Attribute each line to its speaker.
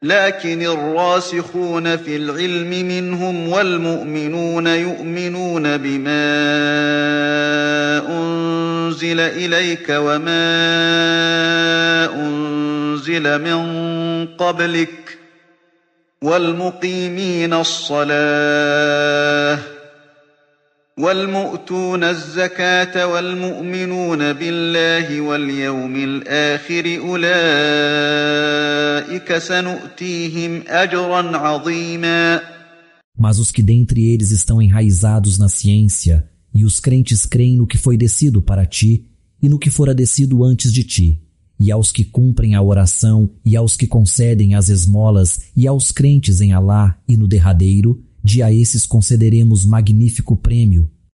Speaker 1: لكن الراسخون في العلم منهم والمؤمنون يؤمنون بما أنزل إليك وما أنزل من قبلك والمقيمين الصلاة والمؤتون الزكاة والمؤمنون بالله واليوم الآخر أولئك سنؤتيهم أجرا عظيما.
Speaker 2: Mas os que dentre eles estão enraizados na ciência, e os crentes creem no que foi descido para ti e no que fora descido antes de ti, e aos que cumprem a oração e aos que concedem as esmolas e aos crentes em Alá e no derradeiro, de a esses concederemos magnífico prêmio,